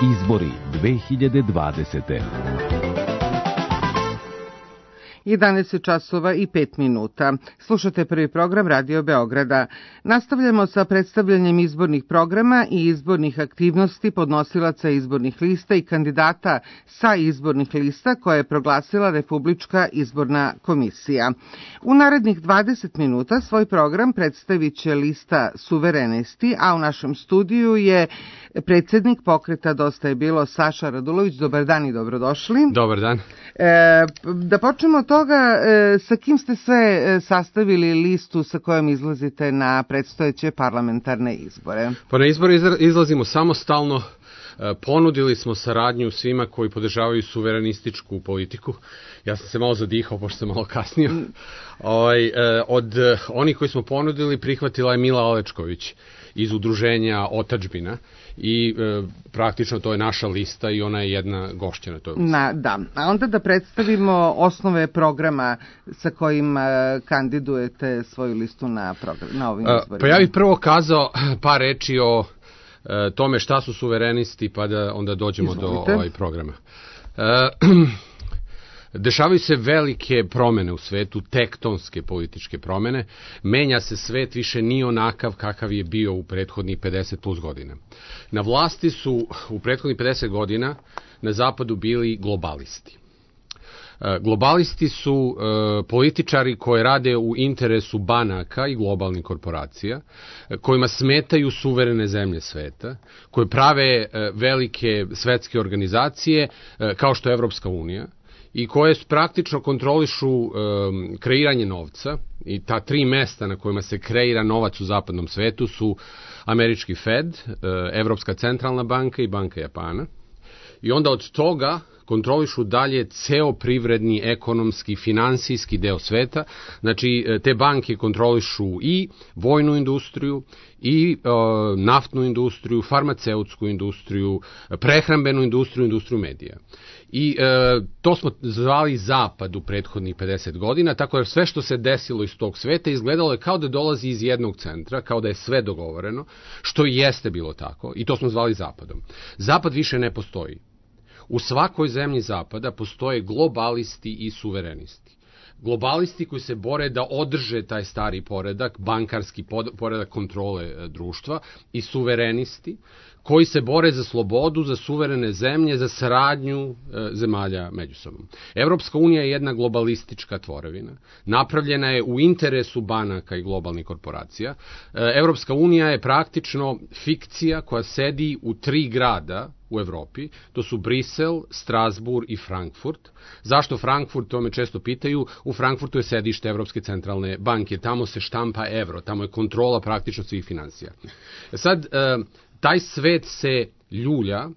Izbori 2020. 11 časova i 5 minuta. Slušate prvi program Radio Beograda. Nastavljamo sa predstavljanjem izbornih programa i izbornih aktivnosti podnosilaca izbornih lista i kandidata sa izbornih lista koje je proglasila Republička izborna komisija. U narednih 20 minuta svoj program predstavit će lista Suverenisti, a u našem studiju je predsjednik pokreta Dosta je bilo Saša Radulović. Dobar dan i dobrodošli. Dobar dan. Da počnemo od toga, sa kim ste sve sastavili listu sa kojom izlazite na predstojeće parlamentarne izbore? Pa na izbore izlazimo samostalno. Ponudili smo saradnju svima koji podržavaju suverenističku politiku. Ja sam se malo zadihao, pošto sam malo kasnio. Od onih koji smo ponudili prihvatila je Mila Alečković iz udruženja Otadžbina i praktično to je naša lista i ona je jedna gošća na toj listi. Da, a onda da predstavimo osnove programa sa kojim kandidujete svoju listu na ovim izborima. Pa ja bih prvo kazao par reči o tome šta su suverenisti, pa da onda dođemo do programa. Dešavaju se velike promene u svetu, tektonske političke promene. Menja se svet, više nije onakav kakav je bio u prethodnih 50 plus godina. Na vlasti su u prethodnih 50 godina na zapadu bili globalisti. Globalisti su političari koji rade u interesu banaka i globalnih korporacija, kojima smetaju suverene zemlje sveta, koje prave velike svetske organizacije kao što je Evropska unija, i koje praktično kontrolišu kreiranje novca, i ta tri mesta na kojima se kreira novac u zapadnom svetu su američki Fed, Evropska centralna banka i Banka Japana. I onda od toga kontrolišu dalje ceo privredni, ekonomski, finansijski deo sveta. Znači, te banke kontrolišu i vojnu industriju, i naftnu industriju, farmaceutsku industriju, prehrambenu industriju, industriju medija. I to smo zvali Zapad u prethodnih 50 godina, tako da sve što se desilo iz tog sveta izgledalo je kao da dolazi iz jednog centra, kao da je sve dogovoreno, što i jeste bilo tako, i to smo zvali Zapadom. Zapad više ne postoji. U svakoj zemlji Zapada postoje globalisti i suverenisti. Globalisti koji se bore da održe taj stari poredak, bankarski poredak kontrole društva, i suverenisti koji se bore za slobodu, za suverene zemlje, za saradnju zemalja međusobno. Evropska unija je jedna globalistička tvorevina. Napravljena je u interesu banaka i globalnih korporacija. Evropska unija je praktično fikcija koja sedi u 3 grada u Evropi. To su Brisel, Strasbourg i Frankfurt. Zašto Frankfurt? To me često pitaju. U Frankfurtu je sedište Evropske centralne banke. Tamo se štampa evro. Tamo je kontrola praktično svih finansija. Sad, taj svet se ljulja,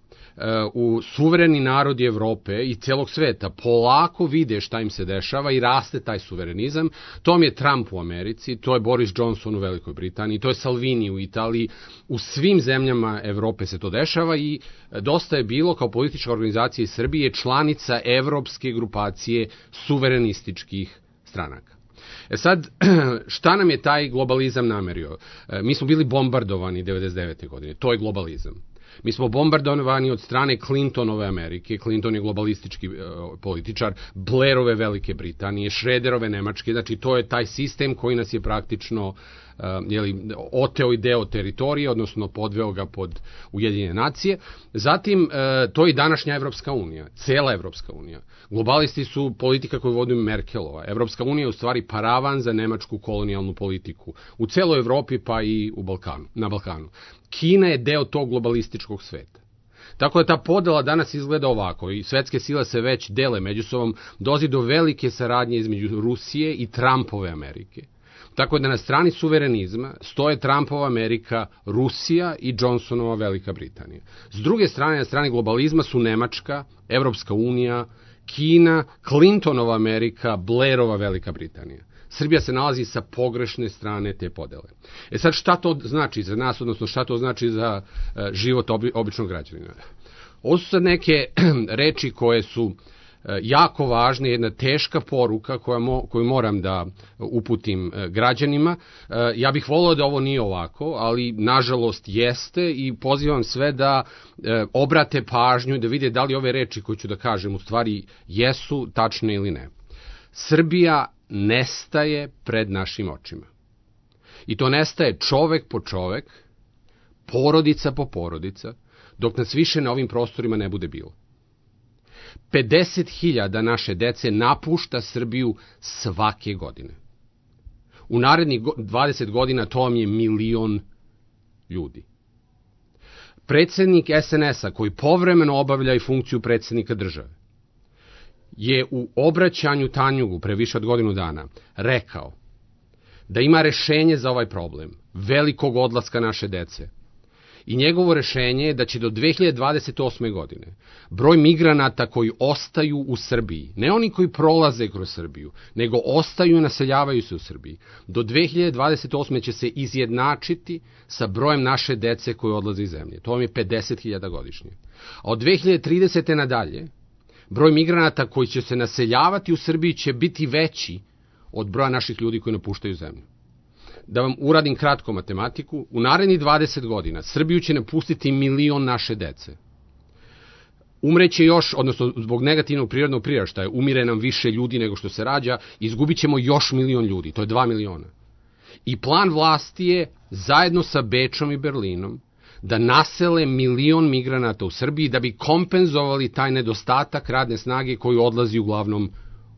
u suvereni narodi Evrope i celog sveta polako vide šta im se dešava i raste taj suverenizam. To je Trump u Americi, to je Boris Johnson u Velikoj Britaniji, to je Salvini u Italiji. U svim zemljama Evrope se to dešava i Dosta je bilo kao politička organizacija iz Srbije članica evropske grupacije suverenističkih stranaka. Sad, šta nam je taj globalizam namerio? Mi smo bili bombardovani 99. godine, to je globalizam. Mi smo bombardovani od strane Clintonove Amerike, Clinton je globalistički političar, Blairove Velike Britanije, Schröderove Nemačke, znači to je taj sistem koji nas je praktično oteo i deo teritorije, odnosno podveo ga pod Ujedinjene nacije. Zatim, to je i današnja Evropska unija, cela Evropska unija. Globalisti su politika koju vodi Merkelova. Evropska unija je u stvari paravan za nemačku kolonijalnu politiku u celoj Evropi pa i na Balkanu. Kina je deo tog globalističkog sveta. Tako da ta podela danas izgleda ovako i svetske sile se već dele međusobom, dolazi do velike saradnje između Rusije i Trumpove Amerike. Tako da na strani suverenizma stoje Trumpova Amerika, Rusija i Johnsonova Velika Britanija. S druge strane, na strani globalizma su Nemačka, Evropska unija, Kina, Clintonova Amerika, Blairova Velika Britanija. Srbija se nalazi sa pogrešne strane te podele. Sad šta to znači za nas, odnosno šta to znači za život običnog građanina? Ovo su sad neke reči koje su jako važna, jedna teška poruka koju moram da uputim građanima. Ja bih volio da ovo nije ovako, ali nažalost jeste i pozivam sve da obrate pažnju, da vide da li ove reči koje ću da kažem u stvari jesu tačne ili ne. Srbija nestaje pred našim očima. I to nestaje čovek po čovek, porodica po porodica, dok nas više na ovim prostorima ne bude bilo. 50.000 naše dece napušta Srbiju svake godine. U narednih 20 godina to vam je 1.000.000 ljudi. Predsednik SNS-a, koji povremeno obavlja i funkciju predsednika države, je u obraćanju Tanjugu pre više od godinu dana rekao da ima rešenje za ovaj problem velikog odlaska naše dece. I njegovo rešenje je da će do 2028. godine broj migranata koji ostaju u Srbiji, ne oni koji prolaze kroz Srbiju, nego ostaju i naseljavaju se u Srbiji, do 2028. će se izjednačiti sa brojem naše dece koji odlaze iz zemlje. To vam je 50.000 godišnje. A od 2030. nadalje, broj migranata koji će se naseljavati u Srbiji će biti veći od broja naših ljudi koji napuštaju zemlju. Da vam uradim kratko matematiku, u narednih 20 godina Srbiju će napustiti 1.000.000 naše dece. Umreće još, odnosno zbog negativnog prirodnog priraštaja, umire nam više ljudi nego što se rađa, izgubit ćemo još 1.000.000 ljudi, to je 2.000.000. I plan vlasti je, zajedno sa Bečom i Berlinom, da nasele 1.000.000 migranata u Srbiji da bi kompenzovali taj nedostatak radne snage koji odlazi uglavnom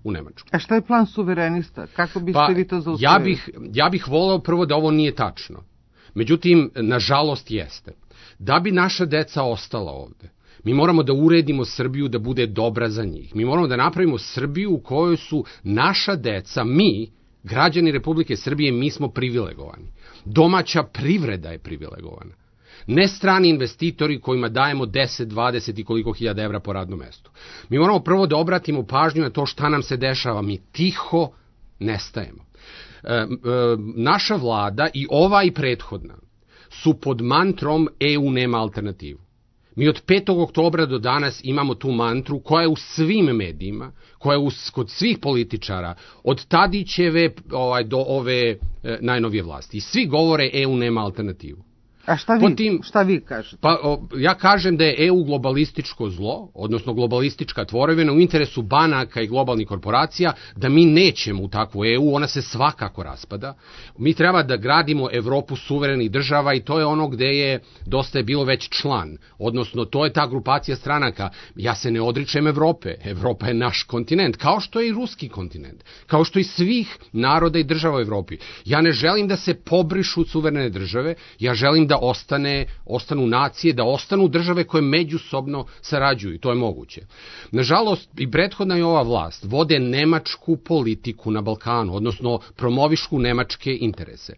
u Nemačku. A šta je plan suverenista? Kako biste vi to zaustavili? Ja bih voleo prvo da ovo nije tačno. Međutim, nažalost jeste. Da bi naša deca ostala ovde, mi moramo da uredimo Srbiju da bude dobra za njih. Mi moramo da napravimo Srbiju u kojoj su naša deca, mi, građani Republike Srbije, mi smo privilegovani. Domaća privreda je privilegovana. Ne strani investitori kojima dajemo 10, 20 i koliko hiljada evra po radnom mestu. Mi moramo prvo da obratimo pažnju na to šta nam se dešava. Mi tiho nestajemo. Naša vlada i ova i prethodna su pod mantrom EU nema alternativu. Mi od 5. oktobra do danas imamo tu mantru koja je u svim medijima, koja je kod svih političara, od Tadićeve do ove najnovije vlasti. I svi govore EU nema alternativu. A šta vi kažete? Pa, ja kažem da je EU globalističko zlo, odnosno globalistička tvorevina u interesu banaka i globalnih korporacija, da mi nećemo u takvu EU, ona se svakako raspada. Mi treba da gradimo Evropu suverenih država i to je ono gde je dosta je bilo već član, odnosno to je ta grupacija stranaka. Ja se ne odričem Evrope, Evropa je naš kontinent, kao što je i ruski kontinent, kao što i svih naroda i država u Evropi. Ja ne želim da se pobrišu suverene države, ja želim da ostanu nacije, da ostanu države koje međusobno sarađuju i to je moguće. Nažalost, i prethodna i ova vlast vode nemačku politiku na Balkanu, odnosno promovišu nemačke interese.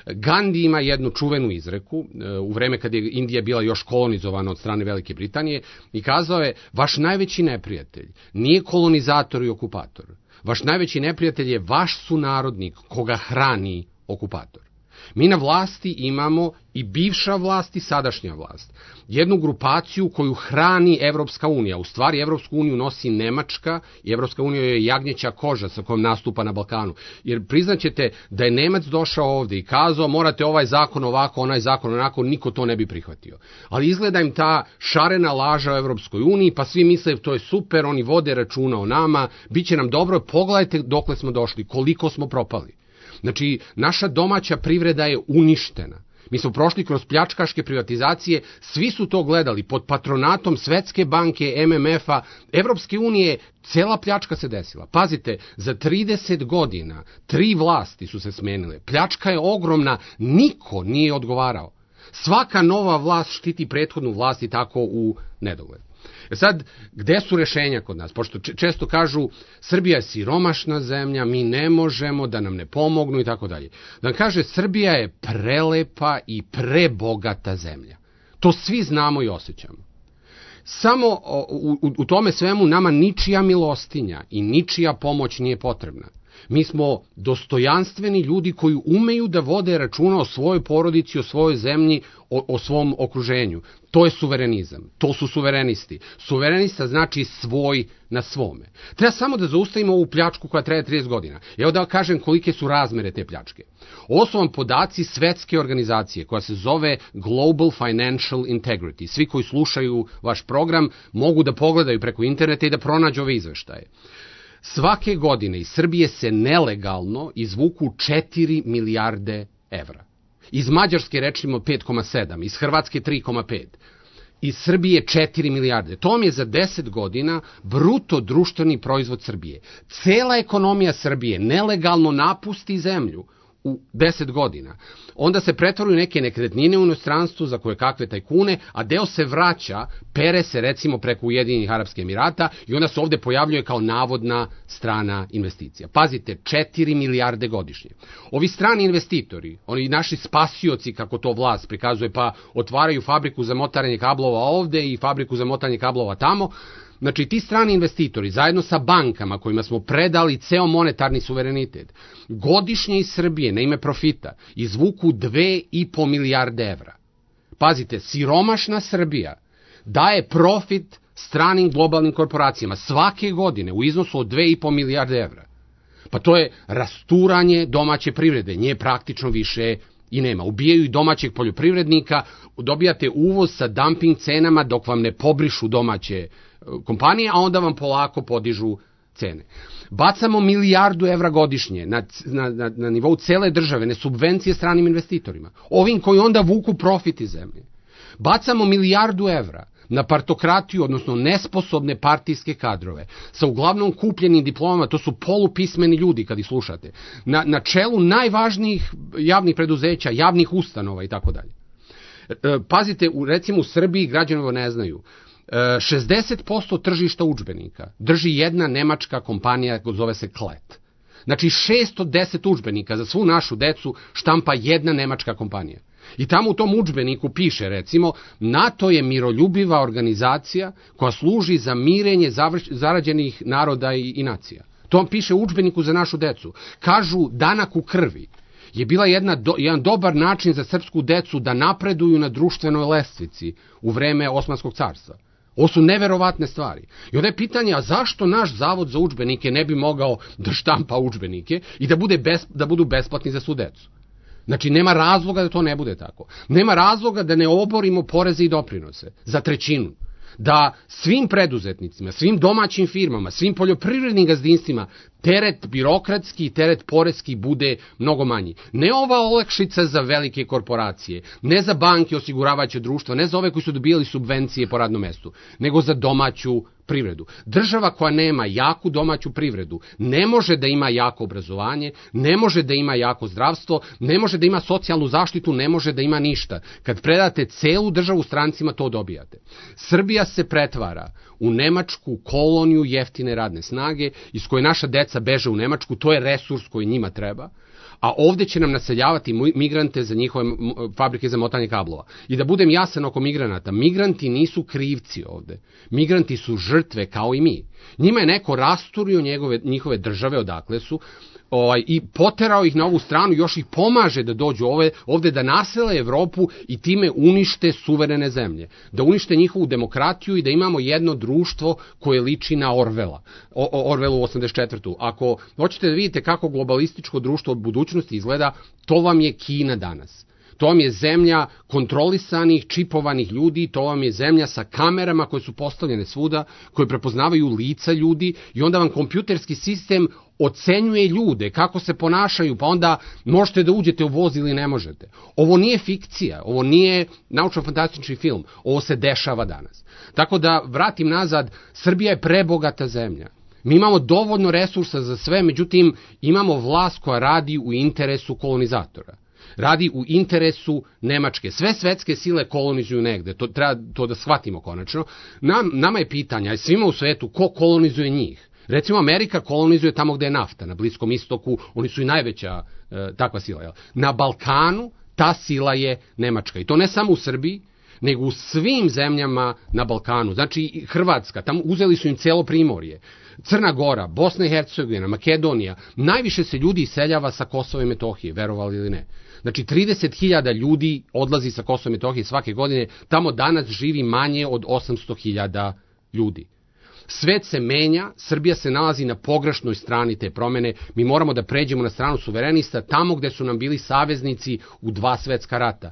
Gandhi ima jednu čuvenu izreku u vreme kad je Indija bila još kolonizovana od strane Velike Britanije i kazao je: vaš najveći neprijatelj nije kolonizator i okupator. Vaš najveći neprijatelj je vaš sunarodnik koga hrani okupator. Mi na vlasti imamo i bivša vlast i sadašnja vlast. Jednu grupaciju koju hrani Evropska unija. U stvari Evropsku uniju nosi Nemačka i Evropska unija je jagnjeća koža sa kojom nastupa na Balkanu. Jer priznaćete da je Nemac došao ovde i kazao morate ovaj zakon ovako, onaj zakon onako, niko to ne bi prihvatio. Ali izgleda im ta šarena laža o Evropskoj uniji, pa svi misle to je super, oni vode računa o nama, bit će nam dobro, pogledajte dokle smo došli, koliko smo propali. Znači, naša domaća privreda je uništena. Mi smo prošli kroz pljačkaške privatizacije, svi su to gledali pod patronatom Svetske banke, MMF-a, Evropske unije, cela pljačka se desila. Pazite, za 30 godina 3 vlasti su se smenile. Pljačka je ogromna, niko nije odgovarao. Svaka nova vlast štiti prethodnu vlast i tako u nedogled. Sad, gde su rešenja kod nas? Pošto često kažu, Srbija je siromašna zemlja, mi ne možemo da nam ne pomognu i tako dalje. Da kaže, Srbija je prelepa i prebogata zemlja. To svi znamo i osjećamo. Samo u tome svemu nama ničija milostinja i ničija pomoć nije potrebna. Mi smo dostojanstveni ljudi koji umeju da vode računa o svojoj porodici, o svojoj zemlji, o svom okruženju. To je suverenizam. To su suverenisti. Suverenista znači svoj na svome. Treba samo da zaustavimo ovu pljačku koja traje 30 godina. Evo da kažem kolike su razmere te pljačke. Ovo su vam podaci svetske organizacije koja se zove Global Financial Integrity. Svi koji slušaju vaš program mogu da pogledaju preko interneta i da pronađu ove izveštaje. Svake godine iz Srbije se nelegalno izvuku 4 milijarde evra. Iz Mađarske rečimo 5,7, iz Hrvatske 3,5, iz Srbije 4 milijarde. To vam je za 10 godina bruto društveni proizvod Srbije. Cela ekonomija Srbije nelegalno napusti zemlju u 10 godina. Onda se pretvaraju neke nekretnine u inostranstvu za koje kakve tajkune, a deo se vraća, pere se recimo preko Ujedinjenih Arapskih Emirata i onda se ovde pojavljuje kao navodna strana investicija. Pazite, 4 milijarde godišnje. Ovi strani investitori, oni naši spasioci, kako to vlast prikazuje, pa otvaraju fabriku za motanje kablova ovde i fabriku za motanje kablova tamo. Znači, ti strani investitori, zajedno sa bankama kojima smo predali ceo monetarni suverenitet, godišnje iz Srbije na ime profita izvuku 2,5 milijarde evra. Pazite, siromašna Srbija daje profit stranim globalnim korporacijama svake godine u iznosu od 2,5 milijarde evra. Pa to je rasturanje domaće privrede, nje praktično više i nema. Ubijaju i domaćeg poljoprivrednika, dobijate uvoz sa dumping cenama dok vam ne pobrišu domaće kompanije, a onda vam polako podižu cene. Bacamo milijardu evra godišnje na nivou cele države, ne subvencije stranim investitorima, ovim koji onda vuku profit iz zemlje. Bacamo milijardu evra na partokratiju, odnosno nesposobne partijske kadrove, sa uglavnom kupljenim diplomama, to su polupismeni ljudi kad ih slušate, na čelu najvažnijih javnih preduzeća, javnih ustanova i tako dalje. Pazite, recimo u Srbiji, građani ovo ne znaju, 60% tržišta udžbenika drži jedna nemačka kompanija, zove se Klet. Znači 610 udžbenika za svu našu decu štampa jedna nemačka kompanija. I tamo u tom udžbeniku piše, recimo, NATO je miroljubiva organizacija koja služi za mirenje zarađenih naroda i nacija. To vam piše u udžbeniku za našu decu. Kažu, danak u krvi je bila jedan dobar način za srpsku decu da napreduju na društvenoj lestvici u vreme Osmanskog carstva. Ovo su neverovatne stvari. I onda je pitanje, a zašto naš zavod za udžbenike ne bi mogao da štampa udžbenike i da budu besplatni za svu decu? Znači, nema razloga da to ne bude tako. Nema razloga da ne oborimo poreze i doprinose za trećinu. Da svim preduzetnicima, svim domaćim firmama, svim poljoprivrednim gazdinstvima teret birokratski i teret poreski bude mnogo manji. Ne ova olakšica za velike korporacije, ne za banke, osiguravajuće društva, ne za ove koji su dobijali subvencije po radnom mestu, nego za domaću privredu. Država koja nema jaku domaću privredu ne može da ima jako obrazovanje, ne može da ima jako zdravstvo, ne može da ima socijalnu zaštitu, ne može da ima ništa. Kad predate celu državu strancima, to dobijate. Srbija se pretvara u nemačku koloniju jeftine radne snage iz koje naša deca beže u Nemačku, to je resurs koji njima treba, a ovde će nam naseljavati migrante za njihove fabrike za motanje kablova. I da budem jasan oko migranata, migranti nisu krivci ovde. Migranti su žrtve kao i mi. Njima je neko rasturio njihove države odakle su i poterao ih na ovu stranu, još ih pomaže da dođu ovde da nasele Evropu i time unište suverene zemlje. Da unište njihovu demokratiju i da imamo jedno društvo koje liči na Orwellu 84. Ako hoćete da vidite kako globalističko društvo od budućnosti izgleda, to vam je Kina danas. To vam je zemlja kontrolisanih, čipovanih ljudi, to vam je zemlja sa kamerama koje su postavljene svuda, koje prepoznavaju lica ljudi i onda vam kompjuterski sistem ocenjuje ljude, kako se ponašaju, pa onda možete da uđete u voz ili ne možete. Ovo nije fikcija, ovo nije naučno-fantastični film, ovo se dešava danas. Tako da, vratim nazad, Srbija je prebogata zemlja. Mi imamo dovoljno resursa za sve, međutim, imamo vlast koja radi u interesu kolonizatora. Radi u interesu Nemačke. Sve svetske sile kolonizuju negde, treba to da shvatimo konačno. Nama je pitanje, a svima u svetu, ko kolonizuje njih? Recimo, Amerika kolonizuje tamo gde je nafta, na Bliskom istoku, oni su i najveća takva sila. Na Balkanu ta sila je Nemačka. I to ne samo u Srbiji, nego u svim zemljama na Balkanu. Znači Hrvatska, tamo uzeli su im celo primorje. Crna Gora, Bosna i Hercegovina, Makedonija, najviše se ljudi iseljava sa Kosova i Metohije, verovali ili ne. Znači 30.000 ljudi odlazi sa Kosova i Metohije svake godine, tamo danas živi manje od 800.000 ljudi. Svet se menja, Srbija se nalazi na pogrešnoj strani te promene, mi moramo da pređemo na stranu suverenista, tamo gde su nam bili saveznici u 2 svetska rata.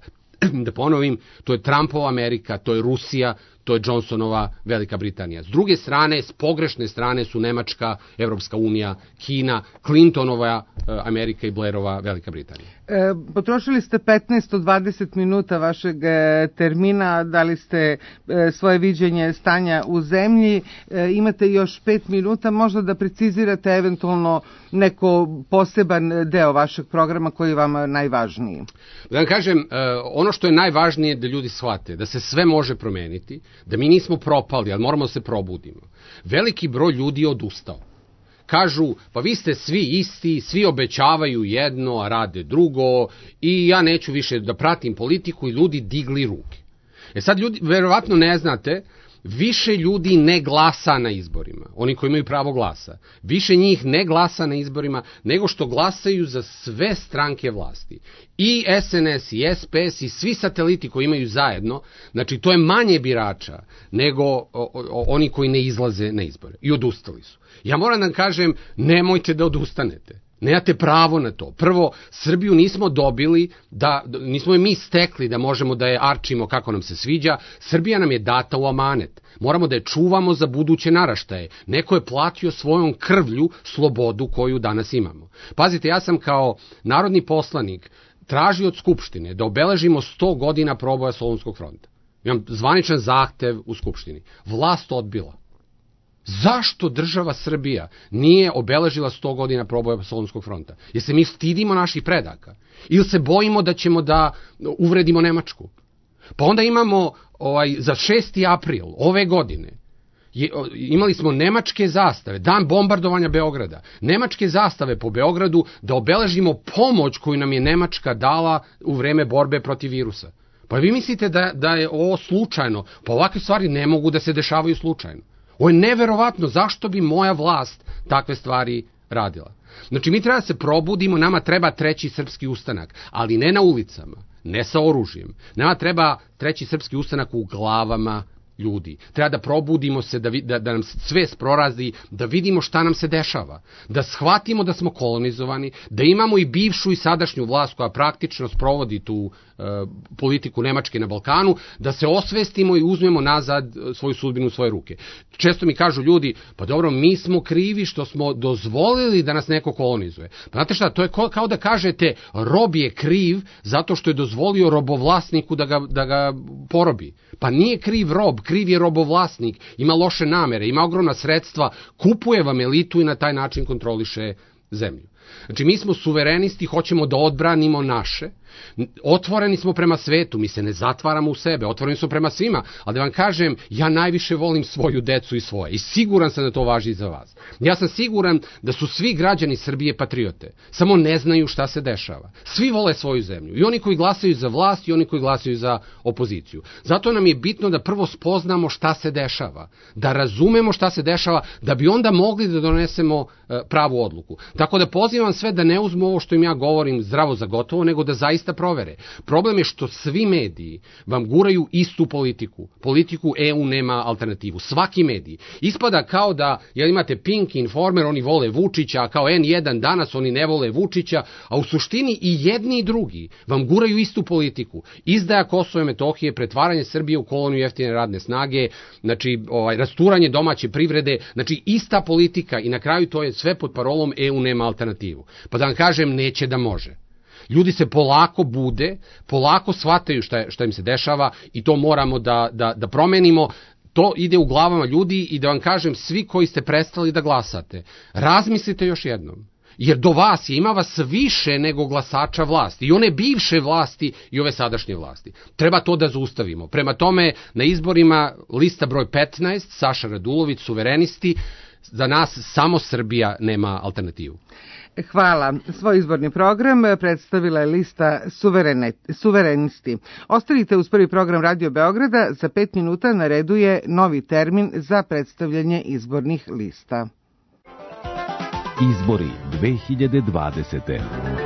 Da ponovim, to je Trumpova Amerika, to je Rusija, to je Johnsonova Velika Britanija. S druge strane, s pogrešne strane su Nemačka, Evropska unija, Kina, Clintonova Amerika i Blairova Velika Britanija. Potrošili ste 15 od 20 minuta vašeg termina, dali ste svoje viđenje stanja u zemlji, imate još 5 minuta, možda da precizirate eventualno neko poseban deo vašeg programa koji je vama najvažniji. Da vam kažem, ono što je najvažnije da ljudi shvate, da se sve može promeniti, da mi nismo propali, ali moramo da se probudimo. Veliki broj ljudi je odustao. Kažu, pa vi ste svi isti, svi obećavaju jedno, a rade drugo, i ja neću više da pratim politiku, i ljudi digli ruke. Sad ljudi, verovatno ne znate, više ljudi ne glasa na izborima, oni koji imaju pravo glasa. Više njih ne glasa na izborima nego što glasaju za sve stranke vlasti. I SNS, i SPS, i svi sateliti koji imaju zajedno, znači to je manje birača nego oni koji ne izlaze na izbore. I odustali su. Ja moram da kažem, nemojte da odustanete. Nemate pravo na to. Prvo, Srbiju nismo dobili, nismo je mi stekli da možemo da je arčimo kako nam se sviđa. Srbija nam je data u amanet. Moramo da je čuvamo za buduće naraštaje. Neko je platio svojom krvlju slobodu koju danas imamo. Pazite, ja sam kao narodni poslanik tražio od Skupštine da obeležimo 100 godina proboja Solunskog fronta. Imam zvaničan zahtev u Skupštini. Vlast odbila. Zašto država Srbija nije obeležila 100 godina proboja Solunskog fronta? Jer se mi stidimo naših predaka? Ili se bojimo da ćemo da uvredimo Nemačku? Pa onda imamo za 6. april ove godine imali smo nemačke zastave, dan bombardovanja Beograda, nemačke zastave po Beogradu da obeležimo pomoć koju nam je Nemačka dala u vreme borbe protiv virusa. Pa vi mislite da je ovo slučajno? Pa ovakve stvari ne mogu da se dešavaju slučajno. Ovo je neverovatno, zašto bi moja vlast takve stvari radila? Znači, mi treba da se probudimo, nama treba 3. srpski ustanak, ali ne na ulicama, ne sa oružjem. Nama treba 3. srpski ustanak u glavama ljudi. Treba da probudimo se, da nam svest prorazi, da vidimo šta nam se dešava, da shvatimo da smo kolonizovani, da imamo i bivšu i sadašnju vlast koja praktično sprovodi tu politiku Nemačke na Balkanu, da se osvestimo i uzmemo nazad svoju sudbinu u svoje ruke. Često mi kažu ljudi, pa dobro, mi smo krivi što smo dozvolili da nas neko kolonizuje. Pa znate šta, to je kao da kažete, rob je kriv zato što je dozvolio robovlasniku da ga porobi. Pa nije kriv rob, kriv je robovlasnik, ima loše namere, ima ogromna sredstva, kupuje vam elitu i na taj način kontroliše zemlju. Znači, mi smo suverenisti, hoćemo da odbranimo naše, otvoreni smo prema svetu, mi se ne zatvaramo u sebe, otvoreni smo prema svima, ali da vam kažem, ja najviše volim svoju decu i svoje i siguran sam da to važi i za vas. Ja sam siguran da su svi građani Srbije patriote, samo ne znaju šta se dešava. Svi vole svoju zemlju, i oni koji glasaju za vlast i oni koji glasaju za opoziciju. Zato nam je bitno da prvo spoznamo šta se dešava, da razumemo šta se dešava, da bi onda mogli da donesemo pravu odluku. Tako da pozivam sve da ne uzmu ovo što im ja govorim zdravo za gotovo, nego da zaista provere. Problem je što svi mediji vam guraju istu politiku. Politiku EU nema alternativu. Svaki medij. Ispada kao da imate Pink, Informer, oni vole Vučića, a kao N1 danas oni ne vole Vučića, a u suštini i jedni i drugi vam guraju istu politiku. Izdaja Kosova i Metohije, pretvaranje Srbije u koloniju jeftine radne snage, znači rasturanje domaće privrede, znači ista politika i na kraju to je sve pod parolom EU nema alternativu. Pa da vam kažem, neće da može. Ljudi se polako bude, polako shvataju šta im se dešava i to moramo da promenimo. To ide u glavama ljudi i da vam kažem, svi koji ste prestali da glasate, razmislite još jednom. Jer do vas ima vas više nego glasača vlasti. I one bivše vlasti i ove sadašnje vlasti. Treba to da zaustavimo. Prema tome, na izborima lista broj 15, Saša Radulović, suverenisti, za nas samo Srbija nema alternativu. Hvala. Svoj izborni program predstavila je lista Suverenisti. Ostanite uz prvi program Radio Beograda. Za 5 minuta na redu je novi termin za predstavljanje izbornih lista. Izbori 2020.